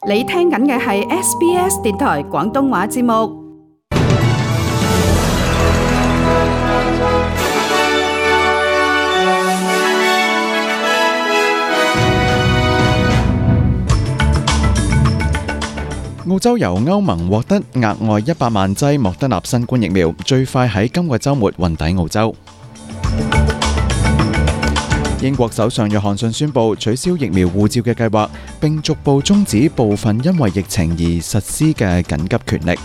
你聽緊嘅係 SBS 電台廣東話節目。澳洲由歐盟獲得額外100萬劑莫德納新冠疫苗，最快喺今個週末運抵澳洲。英國首相約翰遜宣布取消疫苗護照嘅計劃，並逐步終止部分因為疫情而實施嘅緊急權力。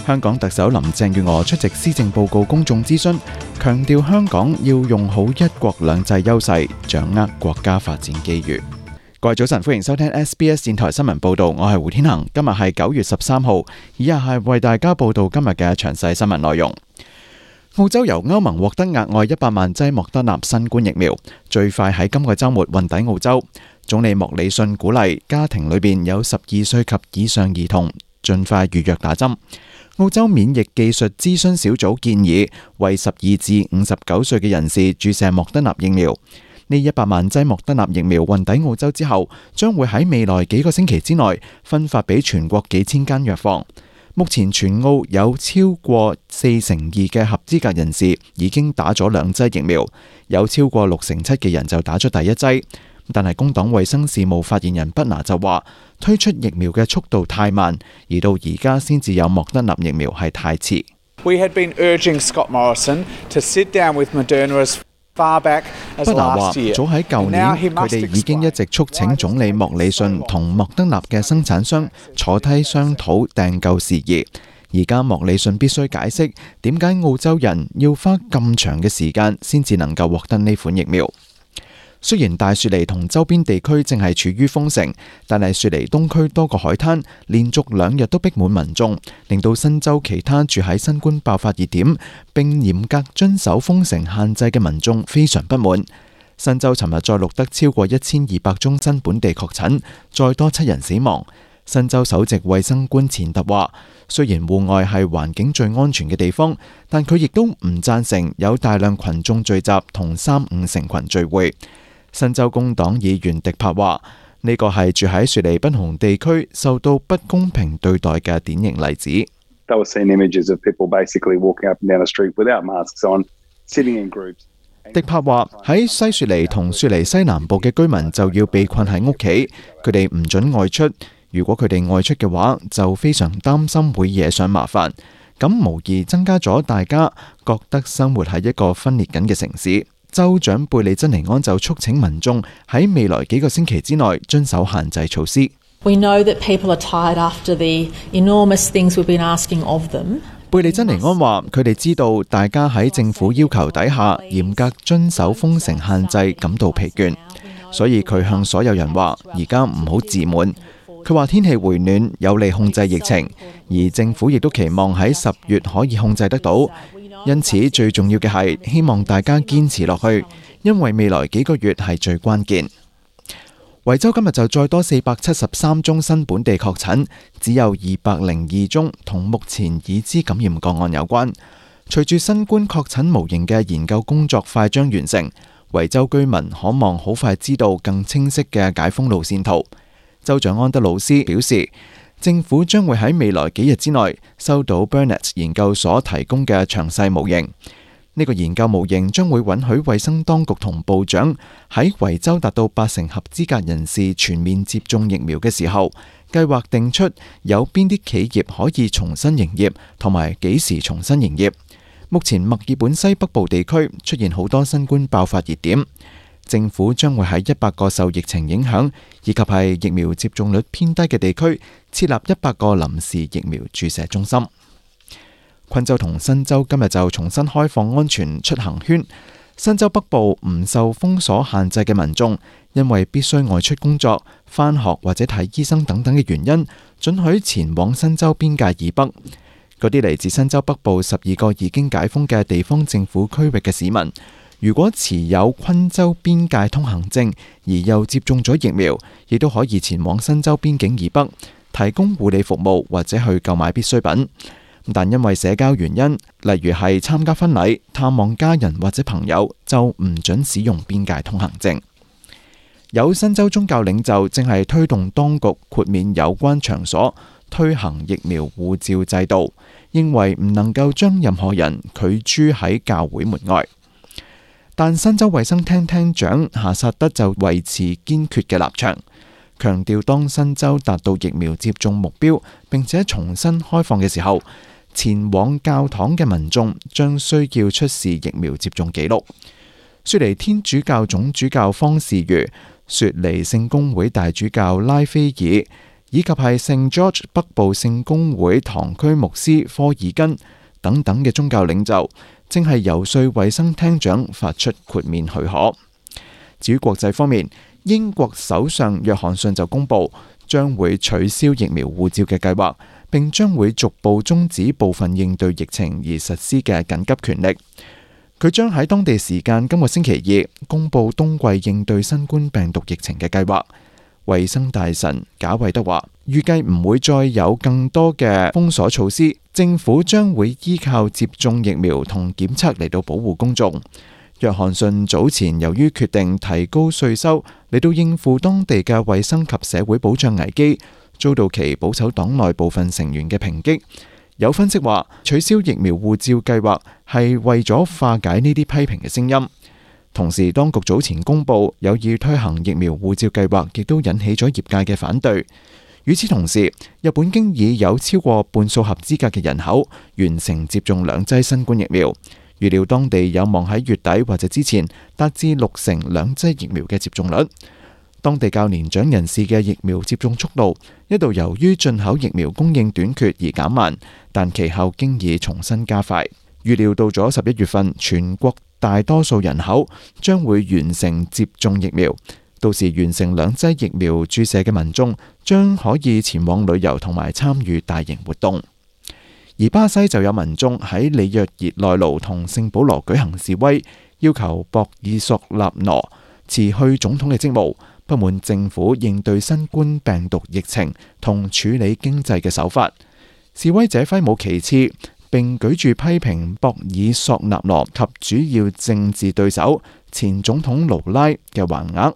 香港特首林鄭月娥出席施政報告公眾諮詢，強調香港要用好一國兩制優勢，掌握國家發展機遇。各位早晨，歡迎收聽 SBS 電台新聞報道，我係胡天恒。今日係9月13號，以下係為大家報道今日嘅詳細新聞內容。澳洲由歐盟獲得額外100萬劑莫德納新冠疫苗，最快喺今個週末運抵澳洲。總理莫里遜鼓勵家庭裏邊有12歲及以上兒童盡快預約打針。澳洲免疫技術諮詢小組建議為12至59歲嘅人士注射莫德納疫苗。呢100萬劑莫德納疫苗運抵澳洲之後，將會喺未來幾個星期之內分發俾全國幾千間藥房。目前全澳有超過42%嘅合資格人士已經打咗2劑疫苗，有超過67%嘅人就打咗第1劑。但係工黨衛生事務發言人畢拿就話，推出疫苗嘅速度太慢，而到而家先至有莫德納疫苗係太遲。We had been urging Scott Morrison to sit down with Moderna far back as last year. 畢拿話，早喺舊年，佢哋已經一直促請總理莫里遜同莫德納嘅生產商坐低商討訂購事宜。而家莫里遜必須解釋點解澳洲人要花咁長嘅時間先至能夠獲得呢款疫苗。雖然大雪梨同周邊地區正係處於封城，但係雪梨東區多個海灘連續2日都逼滿民眾，令到新州其他住喺新冠爆發熱點並嚴格遵守封城限制嘅民眾非常不滿。新州尋日再錄得超過1200宗新本地確診，再多7人死亡。新州首席衛生官錢特話，雖然戶外係環境最安全嘅地方，但佢亦都唔贊成有大量群眾聚集同3-5成群聚會。新州工黨議員迪柏話，呢個係住喺雪梨不同地區受到不公平對待嘅典型例子。迪柏話，喺西雪梨同雪梨西南部嘅居民就要被困喺屋企，佢哋唔准外出。如果佢哋外出嘅話，就非常擔心會惹上麻煩。咁無疑增加咗大家覺得生活喺一個分裂緊嘅城市。州長貝利珍尼安就促請民眾喺未來幾個星期之內遵守限制措施。We know that people are tired after the enormous things we've been asking of them. 貝利珍尼安話，佢哋知道大家喺政府要求底下嚴格遵守封城限制感到疲倦，所以佢向所有人話，而家唔好自滿。佢話天氣回暖有利控制疫情，而政府亦都期望喺10月可以控制得到。因此最重要嘅係希望大家堅持落去，因為未來幾個月係最關鍵。維州今日就再多473宗新本地確診，只有202宗同目前已知感染個案有關。隨住新冠確診模型嘅研究工作快將完成，維州居民可望好快知道更清晰嘅解封路線圖。州長安德魯斯表示，政府將會喺未來幾日之內收到 Burnett 研究所提供嘅詳細模型。呢個研究模型將會允許衛生當局同部長喺維州達到80%合資格人士全面接種疫苗嘅時候，計劃定出有邊啲企業可以重新營業，同埋幾時重新營業。目前墨爾本西北部地區出現好多新冠爆發熱點。政府將會喺100個受疫情影響以及係疫苗接種率偏低嘅地區設立100個臨時疫苗注射中心。昆州同新州今日就重新開放安全出行圈。新州北部唔受封鎖限制嘅民眾，因為必須外出工作、返學或者睇醫生等等嘅原因，准許前往新州邊界以北。嗰啲嚟自新州北部12個已經解封嘅地方政府區域嘅市民，如果持有昆州邊界通行證而又接種咗疫苗，亦都可以前往新州邊境以北提供護理服務或者去購買必需品。但因為社交原因，例如係參加婚禮、探望家人或者朋友，就唔准使用邊界通行證。有新州宗教領袖正係推動當局豁免有關場所推行疫苗護照制度，認為唔能夠將任何人拒諸喺教會門外。但新州衛生廳廳長夏薩德就維持堅決嘅立場，強調當新州達到疫苗接種目標並且重新開放嘅時候，前往教堂嘅民眾將需要出示疫苗接種記錄。雪梨天主教總主教方士如、雪梨聖公會大主教拉斐爾以及係聖 George 北部聖公會堂區牧師科爾根等等嘅宗教領袖，正係游說衛生廳長發出豁免許可。至於國際方面，英國首相約翰遜就公布將會取消疫苗護照嘅計劃，並將會逐步終止部分應對疫情而實施嘅緊急權力。佢將喺當地時間今個星期二公布冬季應對新冠病毒疫情嘅計劃。衛生大臣賈維德話，預計唔會再有更多嘅封鎖措施，政府將會依靠接種疫苗同檢測嚟到保護公眾。約翰遜早前由於決定提高稅收嚟到應付當地嘅衛生及社會保障危機，遭到其保守黨內部分成員嘅抨擊。有分析話，取消疫苗護照計劃係為咗化解呢啲批評嘅聲音。同時，當局早前公布有意推行疫苗護照計劃，亦都引起咗業界嘅反對。與此同時，日本經已有超過半數合資格嘅人口完成接種2劑新冠疫苗，預料當地有望喺月底或者之前達至60%2劑疫苗嘅接種率。當地較年長人士嘅疫苗接種速度一度由於進口疫苗供應短缺而減慢，但其後經已重新加快。預料到咗11月份，全國大多數人口將會完成接種疫苗，到時完成2劑疫苗注射嘅民眾將可以前往旅遊同埋參與大型活動。而巴西就有民眾喺里約熱內盧同聖保羅舉行示威，要求博爾索納羅辭去總統嘅職務，不滿政府應對新冠病毒疫情同處理經濟嘅手法。示威者揮舞旗幟，並舉住批評博爾索納羅及主要政治對手前總統盧拉嘅橫額。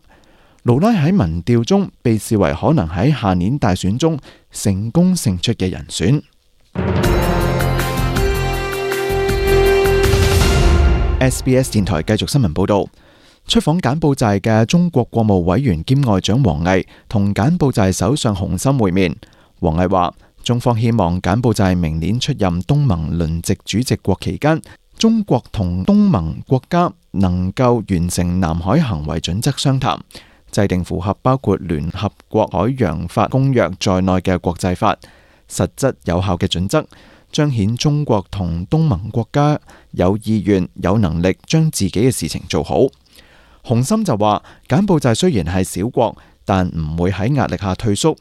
盧拉喺民調中被視為可能喺下年大選中成功勝出嘅人選。SBS 電台繼續新聞報道。出訪柬埔寨嘅中國國務委員兼外長王毅同柬埔寨首相洪森會面。王毅話，中方希望柬埔寨明年出任東盟輪值主席國期間，中國同東盟國家能夠完成南海行為準則商談，制定符合包括聯合國海洋法公約在內嘅國際法，實質有效嘅準則，彰顯中國同東盟國家有意願、有能力將自己嘅事情做好。洪森就話，柬埔寨雖然係小國，但唔會喺壓力下退縮，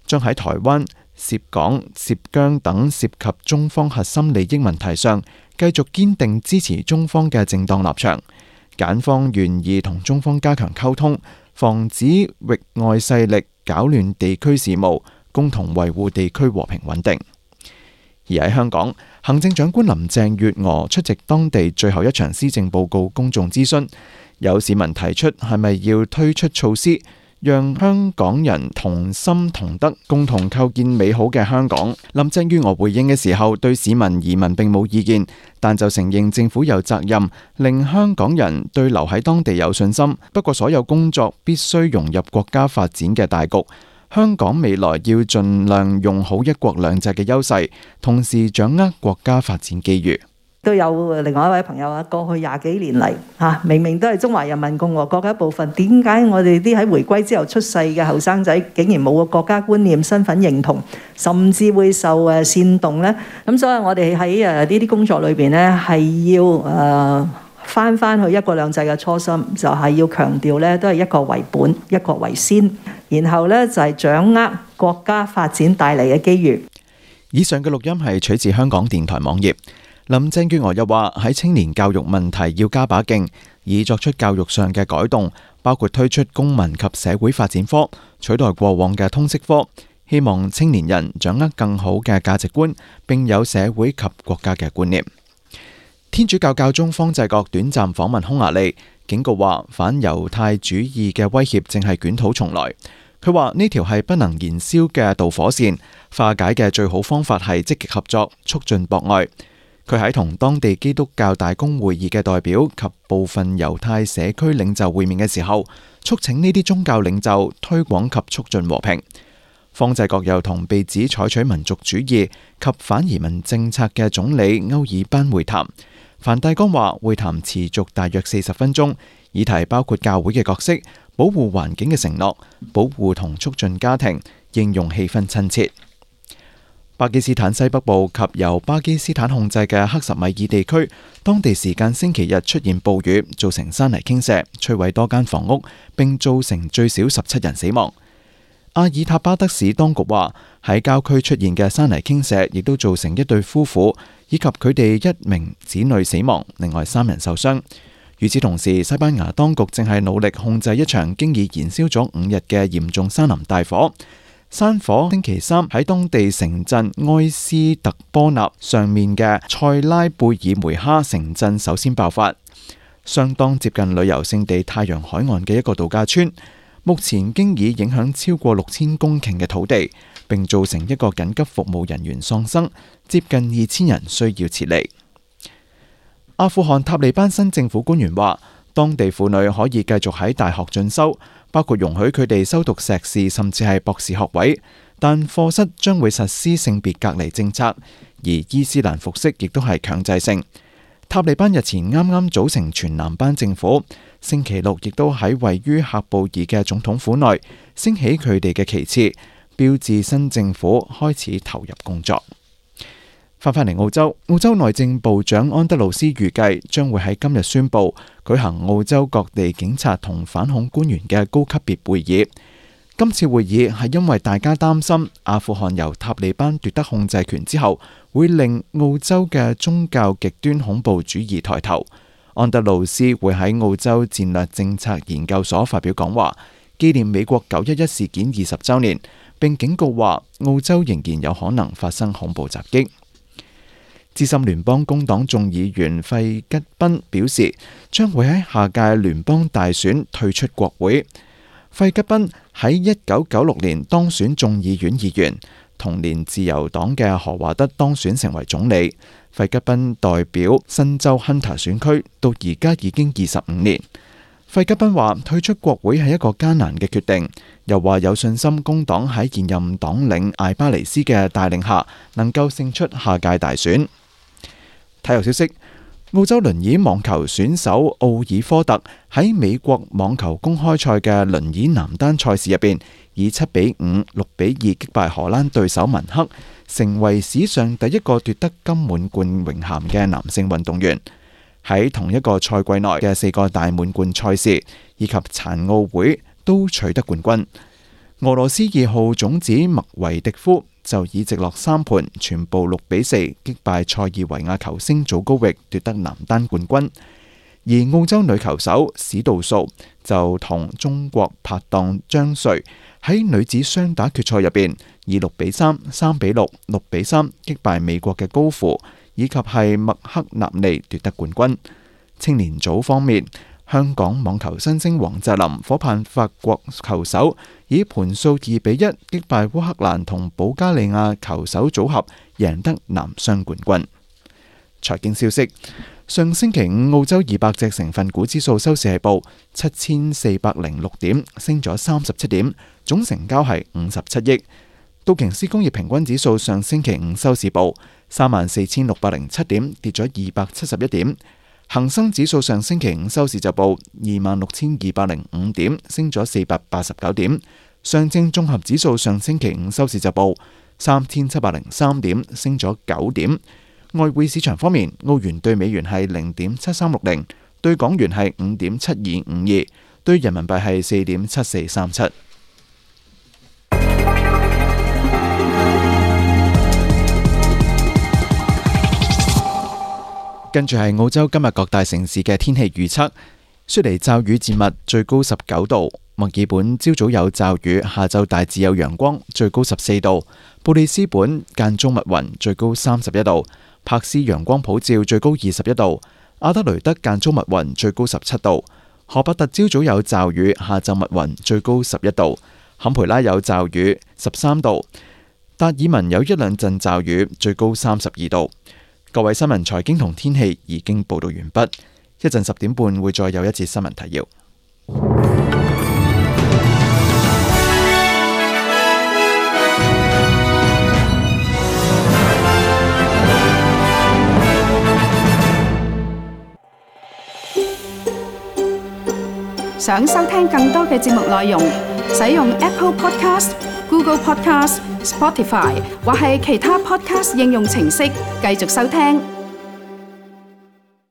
將喺台灣、涉港、涉疆等涉及中方核心利益問題上，繼續堅定支持中方嘅正當立場。柬方願意同中方加強溝通，防止域外勢力攪亂地區事務，共同維護地區和平穩定。而喺香港，行政長官林鄭月娥出席當地最後一場施政報告公眾諮詢。有市民提出係咪要推出措施，讓香港人同心同德，共同構建美好嘅香港。林鄭月娥回應嘅時候，對市民移民並冇意見，但就承認政府有責任令香港人對留喺當地有信心。不過所有工作必須融入國家發展嘅大局。香港未來要盡量用好一國兩制嘅優勢，同時掌握國家發展機遇。都有另外一位朋友啊，過去20幾年嚟明明都係中華人民共和國嘅一部分，點解我哋啲喺回歸之後出世嘅後生仔竟然冇個國家觀念、身份認同，甚至會受煽動呢？咁所以我哋喺呢啲工作裏邊呢，係要翻去一國兩制嘅初心，就係要強調呢都係一國為本、一國為先，然後呢就係掌握國家發展帶嚟嘅機遇。以上嘅錄音係取自香港電台網頁。林鄭月娥又話，喺青年教育問題要加把勁，以作出教育上嘅改動，包括推出公民及社會發展科，取代過往嘅通識科，希望青年人掌握更好嘅價值觀，並有社會及國家嘅觀念。天主教教宗方濟各短暫訪問匈牙利，警告話反猶太主義嘅威脅正係捲土重來。佢話呢條係不能燃燒嘅導火線，化解嘅最好方法係積極合作，促進博愛。佢喺同當地基督教大公會議嘅代表及部分猶太社區領袖會面嘅時候，促請呢啲宗教領袖推廣及促進和平。方濟各又同被指採取民族主義及反移民政策嘅總理歐爾班會談。梵蒂岡話會談持續大約40分鐘，議題包括教會嘅角色、保護環境嘅承諾、保護同促進家庭，應用氣氛親切。巴基斯坦西北部及由巴基斯坦控制嘅克什米爾地區，當地時間星期日出現暴雨，造成山泥傾瀉，摧毀多間房屋，並造成最少17人死亡。阿爾塔巴德市當局話，喺郊區出現嘅山泥傾瀉，亦都造成一對夫婦以及佢哋1名子女死亡，另外3人受傷。與此同時，西班牙當局正係努力控制一場經已燃燒咗5日嘅嚴重山林大火。山火星期3喺當地城鎮埃斯特波納上面嘅塞拉貝爾梅哈城鎮首先爆發，相當接近旅遊勝地太陽海岸嘅一個度假村。目前經已影響超過6000公頃嘅土地，並造成一個緊急服務人員喪生，接近2000人需要撤離。阿富汗塔利班新政府官員話，當地婦女可以繼續喺大學進修，包括容許佢哋修讀碩士甚至係博士學位，但課室將會實施性別隔離政策，而伊斯蘭服飾亦都係強制性。塔利班日前啱啱組成全男班政府，星期六亦都喺位於喀布爾嘅總統府內升起佢哋嘅旗幟，標誌新政府開始投入工作。翻返嚟澳洲內政部長安德魯斯預計將會喺今日宣布舉行澳洲各地警察同反恐官員嘅高級別會議。今次會議係因為大家擔心阿富汗由塔利班奪得控制權之後，會令澳洲嘅宗教極端恐怖主義抬頭。安德魯斯會喺澳洲戰略政策研究所發表講話，紀念美國911事件20週年，並警告話澳洲仍然有可能發生恐怖襲擊。資深聯邦工黨眾議員費吉賓表示，將會喺下屆聯邦大選退出國會。費吉賓喺1996年當選眾議院議員，同年自由黨嘅何華德當選成為總理。費吉賓代表新州亨特選區，到而家已經25年。費吉賓話退出國會係一個艱難嘅決定，又話有信心工黨喺現任黨領艾巴尼斯嘅帶領下，能夠勝出下屆大選。體育消息：澳洲輪椅網球選手奧爾科特喺美國網球公開賽嘅輪椅男單賽事入邊，以7-5、6-2擊敗荷蘭對手文克，成為史上第一個奪得金滿貫榮銜嘅男性運動員。喺同一個賽季內嘅4個大滿貫賽事以及殘奧會都取得冠軍。俄羅斯2號種子麥維迪夫就以直落3盤全部6-4擊敗塞爾維亞球星祖高域，奪得男單冠軍。而澳洲女球手史杜素就同中國拍檔張瑞喺女子雙打決賽入邊以6-3、3-6、6-3擊敗美國嘅高芙以及係麥克納尼奪得冠軍。青年組方面，香港網球新星王澤林夥盼法國球手以盤數2-1擊敗烏克蘭同保加利亞球手組合，贏得男雙冠軍。財經消息：上星期五澳洲200隻成分股指數收市係報7406點，升咗37點，總成交係57億。道瓊斯工業平均指數上星期五收市報34607點，跌咗271點。恒生指數上星期五收市就報26205點，升咗489點。上證綜合指數上星期五收市就報3703點，升咗9點。外匯市場方面，澳元對美元係0.7360，對港元係5.7252，對人民幣係4.7437。跟住係澳洲今日各大城市嘅天氣預測：雪梨驟雨漸密，最高19度；墨爾本朝早有驟雨，下晝大致有陽光，最高14度；布里斯本間中密雲，最高31度；柏斯陽光普照，最高21度；阿德雷德間中密雲，最高17度；荷伯特朝早有驟雨，下晝密雲，最高11度；坎培拉有驟雨，13度；達爾文有一兩陣驟雨，最高32度。各位新聞、財經同天氣已經報道完畢，一陣10點半會再有一節新聞提要。想收聽更多嘅節目內容，使用 Apple Podcast、Google Podcast、Spotify 或係其他 Podcast 應用程式繼續收聽。